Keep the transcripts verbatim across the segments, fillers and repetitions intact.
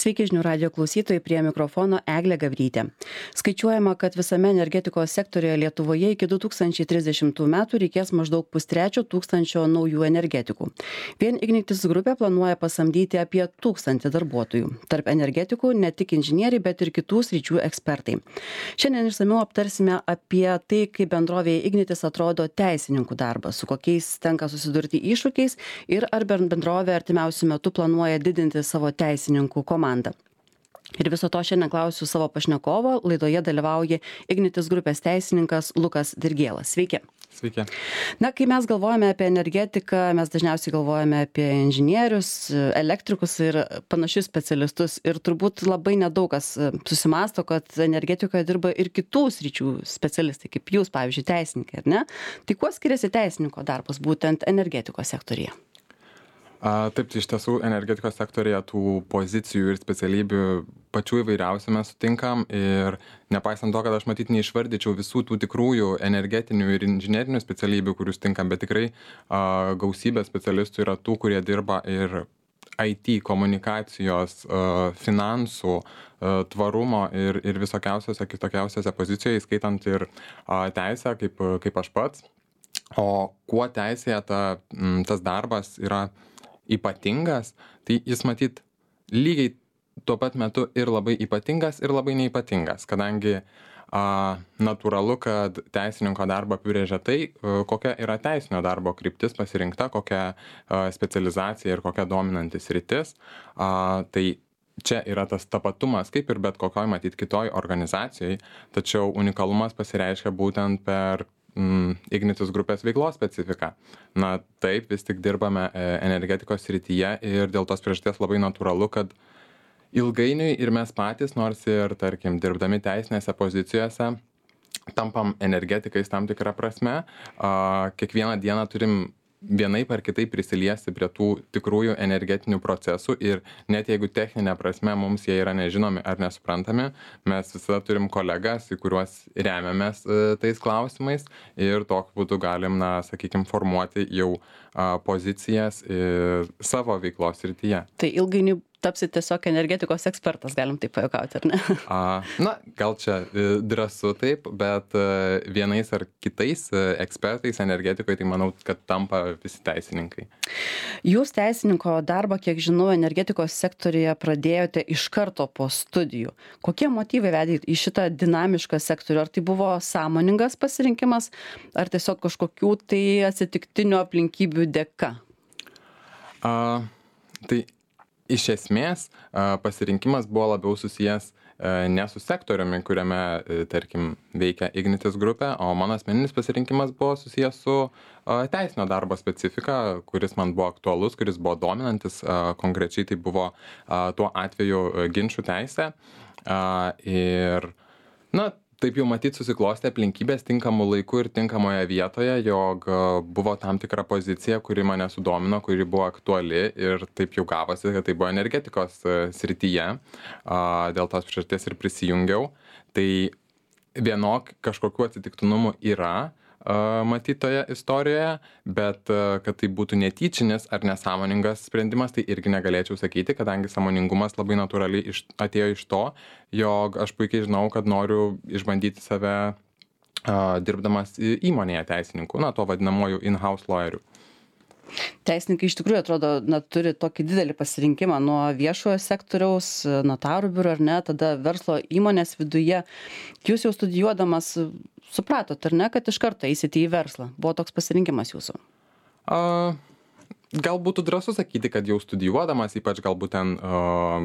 Sveiki žinių radijo klausytojai, prie mikrofono Eglė Gabrytė. Skaičiuojama, kad visame energetikos sektorijoje Lietuvoje iki du tūkstančiai trisdešimtų metų reikės maždaug pustrečio tūkstančio naujų energetikų. Vien Ignitis grupė planuoja pasamdyti apie tūkstantį darbuotojų. Tarp energetikų ne tik inžinieriai, bet ir kitų sričių ekspertai. Šiandien išsamiau aptarsime apie tai, kaip bendrovėje Ignitis atrodo teisininkų darbas, su kokiais tenka susidurti iššūkiais ir ar bendrovė artimiausiu metu planuoja didinti savo teisininkų komandą. Ir viso to šiandien klausiu savo pašnekovo. Laidoje dalyvauja Ignitis grupės teisininkas Lukas Dirgėlas. Sveiki. Sveiki. Na, kai mes galvojame apie energetiką, mes dažniausiai galvojame apie inžinierius, elektrikus ir panašius specialistus. Ir turbūt labai nedaug kas susimąsto, kad energetikoje dirba ir kitų sričių specialistai, kaip jūs, pavyzdžiui, teisininkai, ar ne? Tai kuo skiriasi teisininko darbas būtent energetikos sektorija? A, taip, tai iš tiesų energetikos sektorija tų pozicijų ir specialybių pačių įvairiausių mes sutinkam ir nepaisant to, kad aš matyt neišvardyčiau visų tų tikrųjų energetinių ir inžinerinių specialybių, kurių sutinkam, bet tikrai a, gausybė specialistų yra tų, kurie dirba ir I T, komunikacijos, a, finansų, a, tvarumo ir, ir visokiausiose kitokiausiose pozicijoje, skaitant ir a, teisę, kaip, kaip aš pats. O kuo teisėje ta, tas darbas yra ypatingas, tai jis matyt lygiai tuo pat metu ir labai ypatingas, ir labai neypatingas, kadangi a, natūralu, kad teisininko darbą apibrėžia tai, a, kokia yra teisinio darbo kryptis pasirinkta, kokia a, specializacija ir kokia dominantis rytis. A, tai čia yra tas tapatumas, kaip ir bet kokioj matyt kitoj organizacijai, tačiau unikalumas pasireiškia būtent per Ignitis grupės veiklos specifika. Na taip, vis tik dirbame energetikos srityje ir dėl tos priežasties labai natūralu, kad ilgainiui ir mes patys, nors ir, tarkim, dirbdami teisinėse pozicijose, tampam energetikais tam tikrą prasme, kiekvieną dieną turim vienaip ar kitaip prisiliesti prie tų tikrųjų energetinių procesų ir net jeigu techninė prasme mums jie yra nežinomi ar nesuprantami, mes visada turim kolegas, į kuriuos remiamės e, tais klausimais ir tokiu būdu galim, na, sakykime, formuoti jau a, pozicijas e, savo veiklos srityje. Tai ilgainiui tapsi tiesiog energetikos ekspertas, galim taip pajuokauti, ar ne? A, na, gal čia drąsu taip, bet vienais ar kitais ekspertais energetikoje, tai manau, kad tampa visi teisininkai. Jūs teisininko darbą, kiek žinau, energetikos sektoriuje pradėjote iš karto po studijų. Kokie motyvai vedė į šitą dinamišką sektorių? Ar tai buvo sąmoningas pasirinkimas, ar tiesiog kažkokių tai atsitiktinių aplinkybių dėka? A, tai Iš esmės, pasirinkimas buvo labiau susijęs ne su sektoriumi, kuriame, tarkim, veikia Ignitis grupė, o mano asmeninis pasirinkimas buvo susijęs su teisinio darbo specifika, kuris man buvo aktualus, kuris buvo dominantis, konkrečiai tai buvo tuo atveju ginčų teisė. Ir, na, taip jau matyt susiklostė aplinkybės tinkamų laikų ir tinkamoje vietoje, jog buvo tam tikra pozicija, kuri mane sudomino, kuri buvo aktuali ir taip jau gavosi, kad tai buvo energetikos srityje. Dėl tos priežasties ir prisijungiau. Tai vienok kažkokiu atsitiktinumų yra matytoje istorijoje, bet kad tai būtų netyčinis ar nesąmoningas sprendimas, tai irgi negalėčiau sakyti, kadangi sąmoningumas labai natūraliai iš, atėjo iš to, jog aš puikiai žinau, kad noriu išbandyti save a, dirbdamas įmonėje teisininkų, na, to vadinamoju in-house lawyeriu. Teisininkai iš tikrųjų atrodo, na, turi tokį didelį pasirinkimą nuo viešojo sektoriaus, notarų biuro ar ne, tada verslo įmonės viduje. Jūs jau studijuodamas supratot, ar ne, kad iš karto eisite į verslą? Buvo toks pasirinkimas jūsų? A, gal būtų drąsu sakyti, kad jau studijuodamas, ypač galbūt ten a,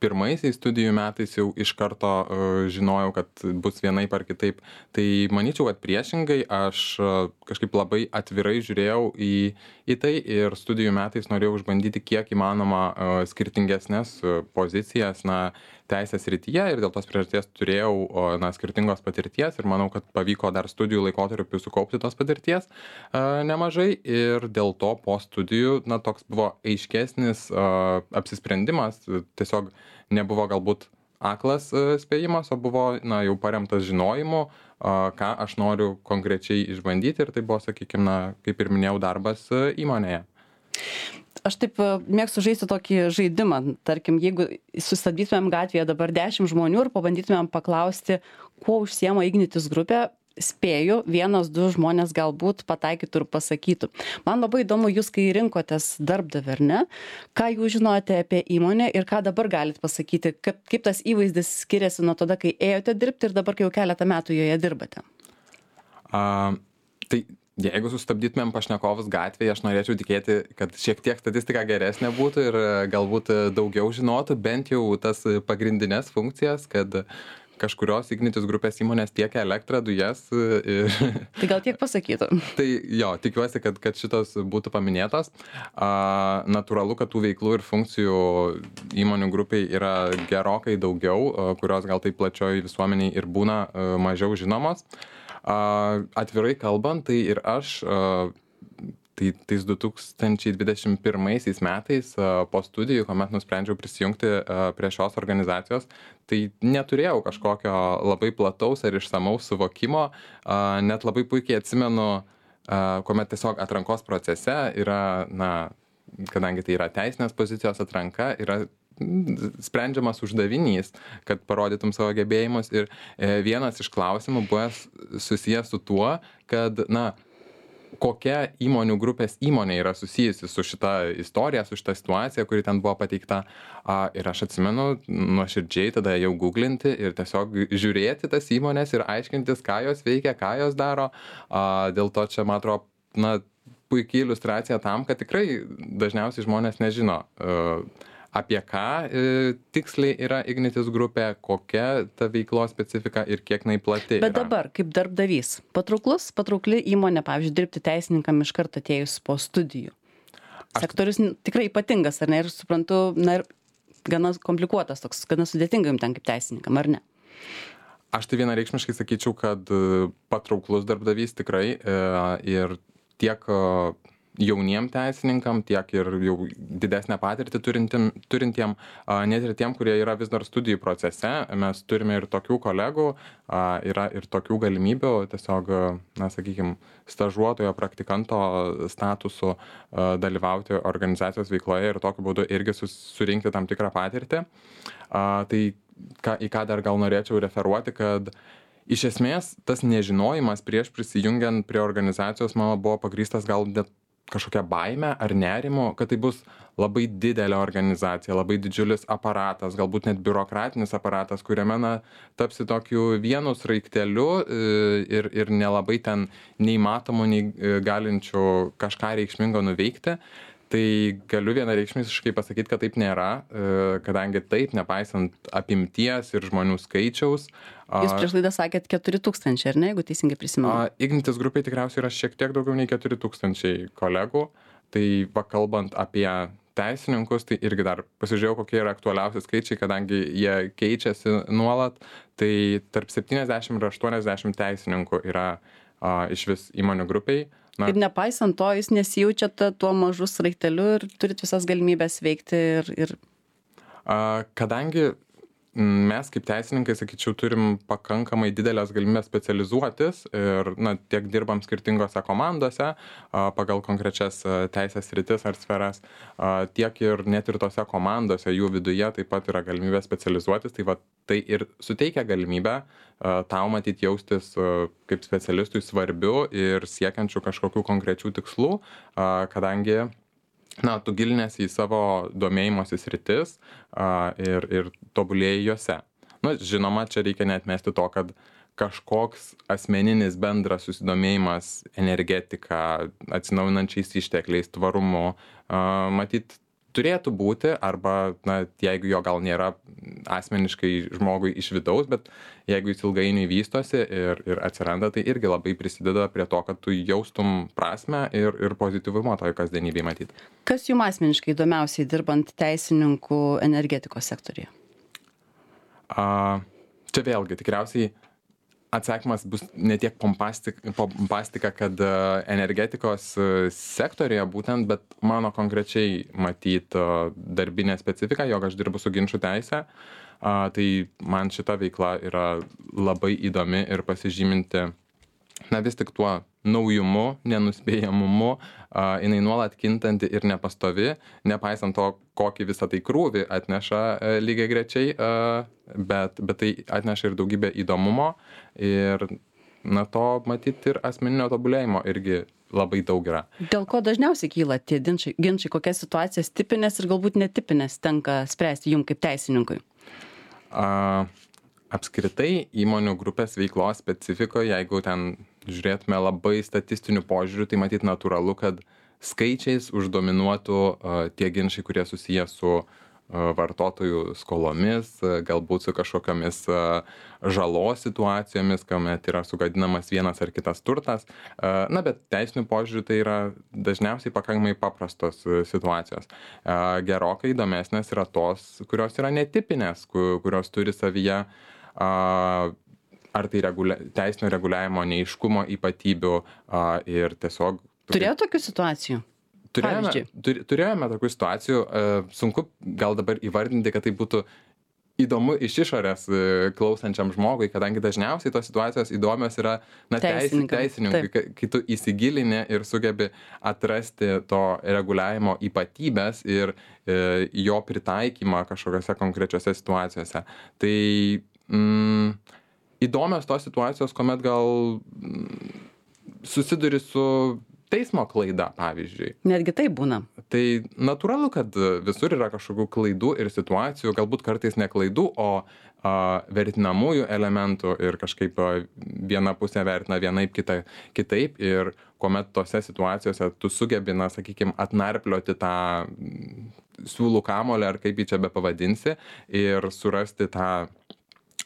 pirmaisiais studijų metais jau iš karto a, žinojau, kad bus vienaip ar kitaip. Tai manyčiau, kad priešingai aš a, kažkaip labai atvirai žiūrėjau į, į tai ir studijų metais norėjau išbandyti kiek įmanoma a, skirtingesnės a, pozicijas, na, teisės srityje ir dėl tos priežasties turėjau na, skirtingos patirties ir manau, kad pavyko dar studijų laikotarpiu sukaupti tos patirties a, nemažai ir dėl to po studijų na, toks buvo aiškesnis a, apsisprendimas, tiesiog nebuvo galbūt aklas a, spėjimas, o buvo na, jau paremtas žinojimu, a, ką aš noriu konkrečiai išbandyti ir tai buvo, sakykime, na, kaip ir minėjau, darbas a, įmonėje. aš taip mėgstu žaisti tokį žaidimą. Tarkim, jeigu sustabdytumėm gatvėje dabar dešimt žmonių ir pabandytumėm paklausti, kuo užsiema Ignitis grupė, spėju, vienas, du žmonės galbūt pataikytų ir pasakytų. Man labai įdomu, jūs kai rinkotės darbdavį, ar ne, ką jūs žinote apie įmonę ir ką dabar galit pasakyti, kaip, kaip tas įvaizdis skiriasi nuo tada, kai ėjote dirbti ir dabar, kai jau keletą metų joje dirbate? A, tai jeigu sustabdytumėm pašnekovus gatvėje, aš norėčiau tikėti, kad šiek tiek statistika geresnė būtų ir galbūt daugiau žinotų, bent jau tas pagrindinės funkcijas, kad kažkurios Ignitis grupės įmonės tiekia elektrą, dujas. Ir... Tai gal tiek pasakytų? Tai jo, tikiuosi, kad, kad šitos būtų paminėtos. A, natūralu, kad tų veiklų ir funkcijų įmonių grupiai yra gerokai daugiau, kurios gal taip plačioj visuomeniai ir būna mažiau žinomos. A, atvirai kalbant, tai ir aš... A, Tai tais du tūkstančiai dvidešimt pirmaisiais metais po studijų, kuomet nusprendžiau prisijungti prie šios organizacijos, tai neturėjau kažkokio labai plataus ar išsamaus suvokimo, net labai puikiai atsimenu, kuomet tiesiog atrankos procese yra, na, kadangi tai yra teisinės pozicijos atranka, yra sprendžiamas uždavinys, kad parodytum savo gebėjimus ir vienas iš klausimų buvo susijęs su tuo, kad, na, kokia įmonių grupės įmonė yra susijusi su šita istorija, su šita situacija, kuri ten buvo pateikta. Ir aš atsimenu nuoširdžiai tada jau googlinti ir tiesiog žiūrėti tas įmonės ir aiškintis, ką jos veikia, ką jos daro. Dėl to čia, man atrodo, na, puikiai iliustracija tam, kad tikrai dažniausiai žmonės nežino, apie ką e, tiksliai yra Ignitis grupė, kokia ta veiklos specifika ir kiek jinai plati. Bet yra. Dabar, kaip darbdavys, patrauklus, patraukli įmonė, pavyzdžiui, dirbti teisininkam iš karto atėjus po studijų. Aš... Sektorius tikrai ypatingas, ar ne? Ir suprantu, na ir gana komplikuotas, toks, gana sudėtinga jums ten kaip teisininkam, ar ne? Aš tai vienareikšmiškai sakyčiau, kad patrauklus darbdavys tikrai e, ir tiek jauniem teisininkam, tiek ir jau didesnę patirtį turintiem, turintiem, net ir tiem, kurie yra vis dar studijų procese. Mes turime ir tokių kolegų, yra ir tokių galimybių tiesiog, na, sakykime, stažuotojo, praktikanto statusu dalyvauti organizacijos veikloje ir tokiu būdu irgi surinkti tam tikrą patirtį. Tai ką, į ką dar gal norėčiau referuoti, kad iš esmės tas nežinojimas prieš prisijungiant prie organizacijos mano buvo pagrįstas gal net kažkokia baime ar nerimo, kad tai bus labai didelė organizacija, labai didžiulis aparatas, galbūt net biurokratinis aparatas, kuriame na, tapsi tokiu vienu sraigteliu ir, ir nelabai ten nei matomų, nei galinčių kažką reikšmingo nuveikti. Tai galiu vienareikšmiškai pasakyti, kad taip nėra, kadangi taip, nepaisant apimties ir žmonių skaičiaus. Jūs prieš laidą sakėt keturi tūkstančiai, ar ne, jeigu teisingai prisimenu? Ignitis grupėj tikriausiai yra šiek tiek daugiau nei keturi tūkstančiai kolegų. Tai pakalbant apie teisininkus, tai irgi dar pasižiūrėjau, kokie yra aktualiausi skaičiai, kadangi jie keičiasi nuolat. Tai tarp septyniasdešimt ir aštuoniasdešimt teisininkų yra a, iš vis įmonių grupėj. Na. Ir nepaisant to, jūs nesijaučiate tuo mažu sraigteliu ir turit visas galimybės veikti ir... ir... A, kadangi mes kaip teisininkai, sakyčiau, turim pakankamai didelės galimybės specializuotis ir na, tiek dirbam skirtingose komandose a, pagal konkrečias teisės sritis ar sferas, a, tiek ir net ir tose komandose jų viduje taip pat yra galimybė specializuotis, tai va tai ir suteikia galimybę a, tau matyti jaustis a, kaip specialistui svarbiu ir siekiančių kažkokių konkrečių tikslų, a, kadangi na, tu gilinėsi į savo domėjimosi sritis a, ir, ir tobulėjai juose. Na, žinoma, čia reikia neatmesti to, kad kažkoks asmeninis bendras susidomėjimas energetika, atsinaujinančiais ištekliais, tvarumu, a, matyt, turėtų būti, arba, na, jeigu jo gal nėra asmeniškai žmogui iš vidaus, bet jeigu jis ilgainiui vystosi ir, ir atsiranda, tai irgi labai prisideda prie to, kad tu jaustum prasmę ir, ir pozityvumą toj kasdienybėj matyti. Kas jums asmeniškai įdomiausiai dirbant teisininkų energetikos sektoriuje? A, čia vėlgi, tikriausiai atsakymas bus ne tiek pompastika, pompastika kad energetikos sektorija būtent, bet mano konkrečiai matyt darbinė specifika, jog aš dirbu su ginčų teise, tai man šita veikla yra labai įdomi ir pasižyminti na vis tik tuo naujumu, nenuspėjamumu, a, jinai nuolat kintanti ir nepastovi, nepaisant to, kokį visą tai krūvį atneša a, lygiai grečiai, a, bet, bet tai atneša ir daugybę įdomumo ir na to matyti ir asmeninio tobulėjimo irgi labai daug yra. Dėl ko dažniausiai kyla tie ginčiai, ginčiai kokias situacijas tipinės ir galbūt netipinės tenka spręsti jums kaip teisininkui? A, apskritai įmonių grupės veiklos specifikoje, jeigu ten žiūrėtume labai statistinių požiūrių, tai matyt natūralu, kad skaičiais uždominuotų a, tie ginčiai, kurie susiję su a, vartotojų skolomis, a, galbūt su kažkokiamis a, žalos situacijomis, kuomet yra sugadinamas vienas ar kitas turtas. A, na, bet teisinių požiūrių tai yra dažniausiai pakankamai paprastos a, situacijos. A, gerokai įdomesnės yra tos, kurios yra netipinės, ku- kurios turi savyje a, ar tai regulia, teisinio reguliavimo neiškumo ypatybių a, ir tiesiog... Turėjo tokių situacijų? Turėjome, Pavyzdžiui? tur, turėjome tokių situacijų, a, sunku gal dabar įvardinti, kad tai būtų įdomu iš išorės a, klausančiam žmogui, kadangi dažniausiai tos situacijos įdomios yra na, teisi- Teisininkam, teisininkui, kai, kai tu įsigilini ir sugebi atrasti to reguliavimo ypatybės ir e, jo pritaikymą kažkokiose konkrečiose situacijose. Tai mm, įdomios tos situacijos, kuomet gal mm, susiduri su teismo klaida, pavyzdžiui. Netgi tai būna. Tai natūralu, kad visur yra kažkokių klaidų ir situacijų, galbūt kartais ne klaidų, o a, vertinamųjų elementų ir kažkaip a, viena pusė vertina vienaip, kita kitaip ir kuomet tose situacijose tu sugebi, na, sakykime, atnarplioti tą mm, siūlų kamolį ar kaip jį čia be pavadinsi ir surasti tą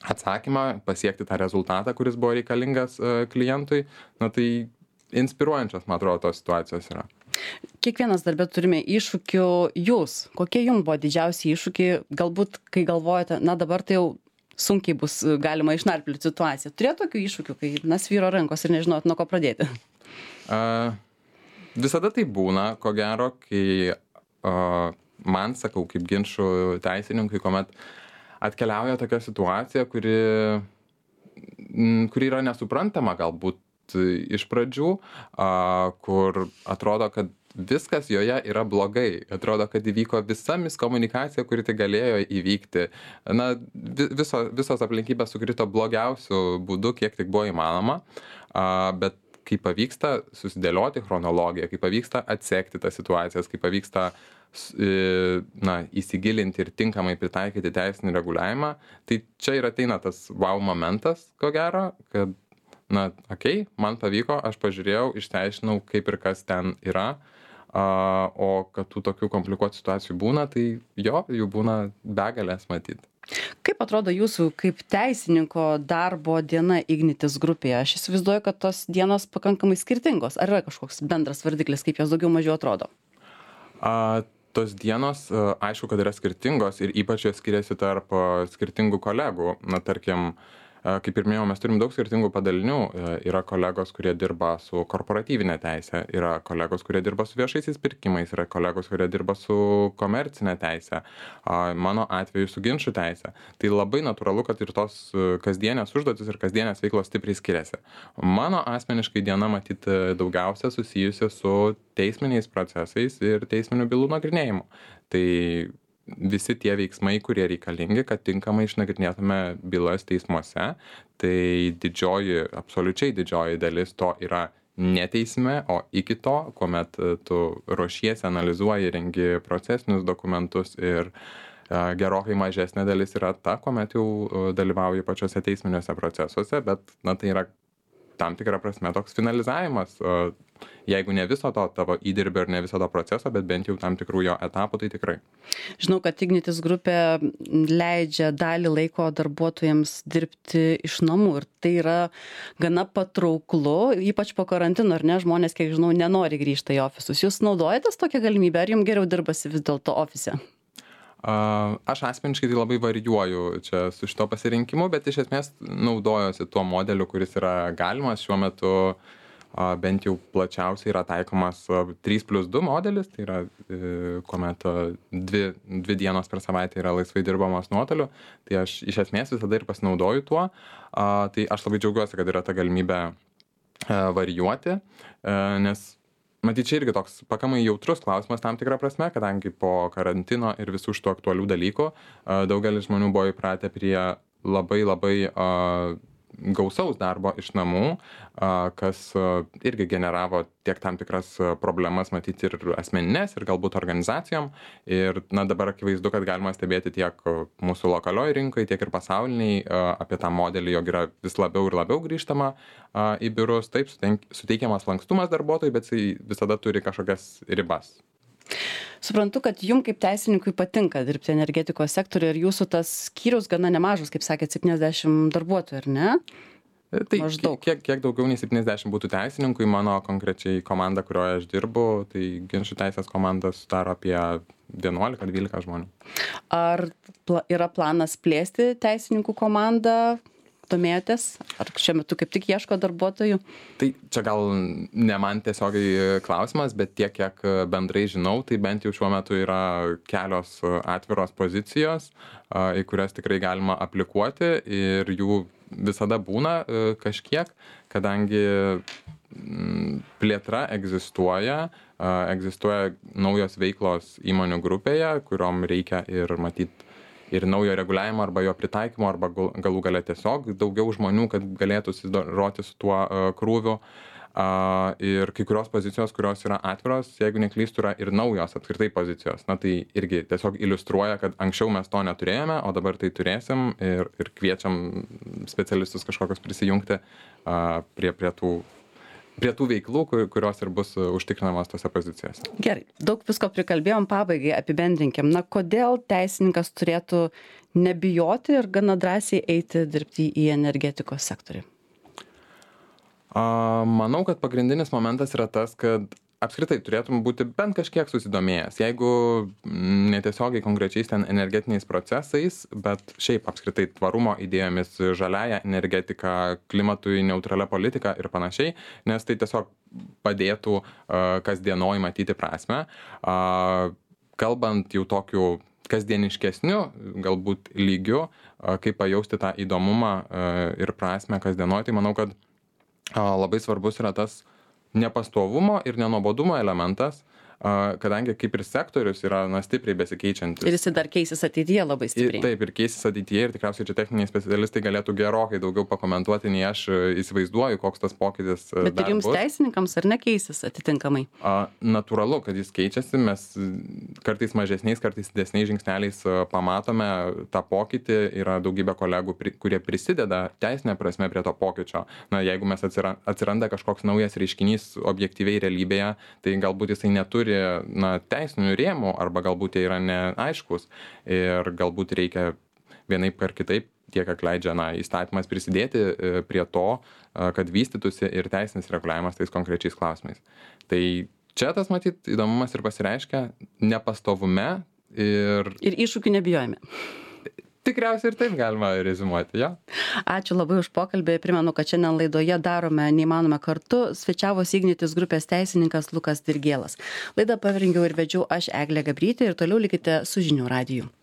atsakymą, pasiekti tą rezultatą, kuris buvo reikalingas a, klientui, na tai inspiruojančios, man atrodo, tos situacijos yra. Kiekvienas darbė turime iššūkių. Jūs, kokie jums buvo didžiausi iššūkiai, galbūt kai galvojate, na dabar tai jau sunkiai bus galima išnarplioti situaciją. Turėjo tokių iššūkių, kai na svyro rankos ir nežinot, nuo ko pradėti? Uh, visada tai būna, ko gero, kai uh, man, sakau, kaip ginčų teisininkui, kuomet atkeliauja tokia situacija, kuri, m, kuri yra nesuprantama galbūt iš pradžių, a, kur atrodo, kad viskas joje yra blogai. Atrodo, kad įvyko visa miskomunikacija, kuri tai galėjo įvykti. Na, vi- viso, visos aplinkybės sukrito blogiausių būdų, kiek tik buvo įmanoma. A, bet kai pavyksta susidėlioti chronologiją, kai pavyksta atsekti tas situacijas, kai pavyksta s- e, na, įsigilinti ir tinkamai pritaikyti teisinį reguliavimą, tai čia ir ateina tas wow momentas, ko gero, kad na, okei, okay, man pavyko, aš pažiūrėjau, išsiaiškinau, kaip ir kas ten yra, a, o kad tų tokių komplikuotų situacijų būna, tai jo, jų būna begalės matyti. Kaip atrodo jūsų kaip teisininko darbo diena Ignitis grupėje? Aš įsivaizduoju, kad tos dienos pakankamai skirtingos. Ar yra kažkoks bendras vardiklis, kaip jos daugiau mažiau atrodo? A, tos dienos, a, aišku, kad yra skirtingos ir ypač jos skiriasi tarp a, skirtingų kolegų. Na, tarkim, a, kaip ir minėjau, mes turim daug skirtingų padalinių. A, Yra kolegos, kurie dirba su korporatyvinė teisė, yra kolegos, kurie dirba su viešaisiais pirkimais, yra kolegos, kurie dirba su komercinė teisė, a, mano atveju su ginčų teisė. Tai labai natūralu, kad ir tos a, kasdienės užduotis ir kasdienės veiklos stipriai skiriasi. Mano asmeniškai diena matyti daugiausia susijusi su teisminiais procesais ir teisminių bylų nagrinėjimu. Tai visi tie veiksmai, kurie reikalingi, kad tinkamai išnagrinėtume bylas teismuose, tai didžioji, absoliučiai didžioji dalis to yra ne teisme, o iki to, kuomet e, tu ruošiesi, analizuoji, rengi procesinius dokumentus ir e, gerokai mažesnė dalis yra ta, kuomet jau e, dalyvauji pačiuose teisminiuose procesuose, bet na, tai yra tam tikrą prasme toks finalizavimas, o jeigu ne viso to tavo įdirbio ir ne viso to proceso, bet bent jau tam tikrų jo etapų, tai tikrai. Žinau, kad Ignitis grupė leidžia dalį laiko darbuotojams dirbti iš namų ir tai yra gana patrauklu, ypač po karantino, ar ne, žmonės, kiek žinau, nenori grįžti į ofisus. Jūs naudojatės tokią galimybę, ar jums geriau dirbasi vis dėlto ofise? A, Aš asmeniškai tai labai varijuoju čia su šito pasirinkimu, bet iš esmės naudojosi tuo modeliu, kuris yra galimas šiuo metu. A, Bent jau plačiausiai yra taikomas a, trys plius du modelis, tai yra e, kuomet a, dvi, dvi dienos per savaitę yra laisvai dirbamos nuotoliu. Tai aš iš esmės visada ir pasinaudoju tuo. A, Tai aš labai džiaugiuosi, kad yra ta galimybė varijuoti, nes matyt, čia irgi toks pakankamai jautrus klausimas tam tikrą prasme, kadangi po karantino ir visų šitų aktualių dalykų daugelis žmonių buvo įpratę prie labai labai gausaus darbo iš namų, kas irgi generavo tiek tam tikras problemas matyti ir asmeninės, ir galbūt organizacijom. Ir na, dabar akivaizdu, kad galima stebėti tiek mūsų lokalioj rinkai, tiek ir pasauliniai apie tą modelį, jog yra vis labiau ir labiau grįžtama į biurus. Taip, suteikiamas lankstumas darbuotojui, bet jis visada turi kažkokias ribas. Suprantu, kad jums kaip teisininkui patinka dirbti energetikos sektoriuje ir jūsų tas skyrius gana nemažas, kaip sakėt, septyniasdešimt darbuotojų, ar ne? Tai maždaug. Kiek, kiek daugiau nei septyniasdešimt būtų teisininkų, mano konkrečiai komanda, kurioje aš dirbu, tai ginčių teisės komanda sudaro apie vienuolika dvylika žmonių. Ar pla- yra planas plėsti teisininkų komandą? Domėjotės? Ar šiuo metu kaip tik ieško darbuotojų? Tai čia gal ne man tiesiogiai klausimas, bet tiek, kiek bendrai žinau, tai bent jau šiuo metu yra kelios atviros pozicijos, į kurias tikrai galima aplikuoti ir jų visada būna kažkiek, kadangi plėtra egzistuoja, egzistuoja naujos veiklos įmonių grupėje, kuriom reikia ir matyti ir naujo reguliavimo arba jo pritaikymo, arba galų gale tiesiog daugiau žmonių, kad galėtų susidoroti su tuo uh, krūviu. Uh, ir kai kurios pozicijos, kurios yra atviros, jeigu neklystu, yra ir naujos apskritai pozicijos. Na tai irgi tiesiog iliustruoja, kad anksčiau mes to neturėjome, o dabar tai turėsim ir, ir kviečiam specialistus kažkokios prisijungti uh, prie, prie tų prie tų veiklų, kurios ir bus užtikrinamos tose pozicijose. Gerai, daug visko prikalbėjom, pabaigai apibendrinkim. Na, kodėl teisininkas turėtų nebijoti ir gana drąsiai eiti dirbti į energetikos sektorių? A, manau, kad pagrindinis momentas yra tas, kad apskritai turėtum būti bent kažkiek susidomėjęs. Jeigu netiesiogiai konkrečiais ten energetiniais procesais, bet šiaip apskritai tvarumo idėjomis, žaliaja energetika, klimatui neutralia politika ir panašiai, nes tai tiesiog padėtų uh, kasdienoj matyti prasme. Uh, kalbant jau tokiu kasdieniškesniu, galbūt lygiu, uh, kaip pajausti tą įdomumą uh, ir prasme kasdienoj, tai manau, kad uh, labai svarbus yra tas nepastovumo ir nenuobodumo elementas, kadangi kaip ir sektorius yra na, stipriai besikeičiantis. Ir jis dar keisis ateityje labai stipriai. Ir, taip, ir keisis ateityje ir tikriausiai čia techniniai specialistai galėtų gerokai daugiau pakomentuoti, nei aš įsivaizduoju, koks tas pokytis. Bet ir jums bus. Teisininkams ar nekeisis atitinkamai? A, natūralu, kad jis keičiasi, mes kartais mažesniais, kartais didesniais žingsneliais pamatome tą pokytį, yra daugybė kolegų, kurie prisideda teisinė prasme prie to pokyčio. Na, jeigu mes atsiranda kažkoks naujas reiškinys objektyviai realybėje, tai galbūt jisai neturi na, teisinių rėmų arba galbūt jie yra neaiškus ir galbūt reikia vienaip ar kitaip, tiek kiek leidžia na, įstatymas prisidėti prie to, kad vystytųsi ir teisinis reguliavimas tais konkrečiais klausimais. Tai čia tas matyt įdomumas ir pasireiškia nepastovume ir... Ir iššūkių nebijojame. Tikriausiai ir taip galima reziumuoti, jo. Ačiū labai už pokalbį. Primenu, kad šiandien laidoje darome neįmanome kartu. Svečiavosi Ignitis grupės teisininkas Lukas Dirgėlas. Laidą parengiau ir vedžiau aš Eglė Gabrytė ir toliau likite su Žinių radiju.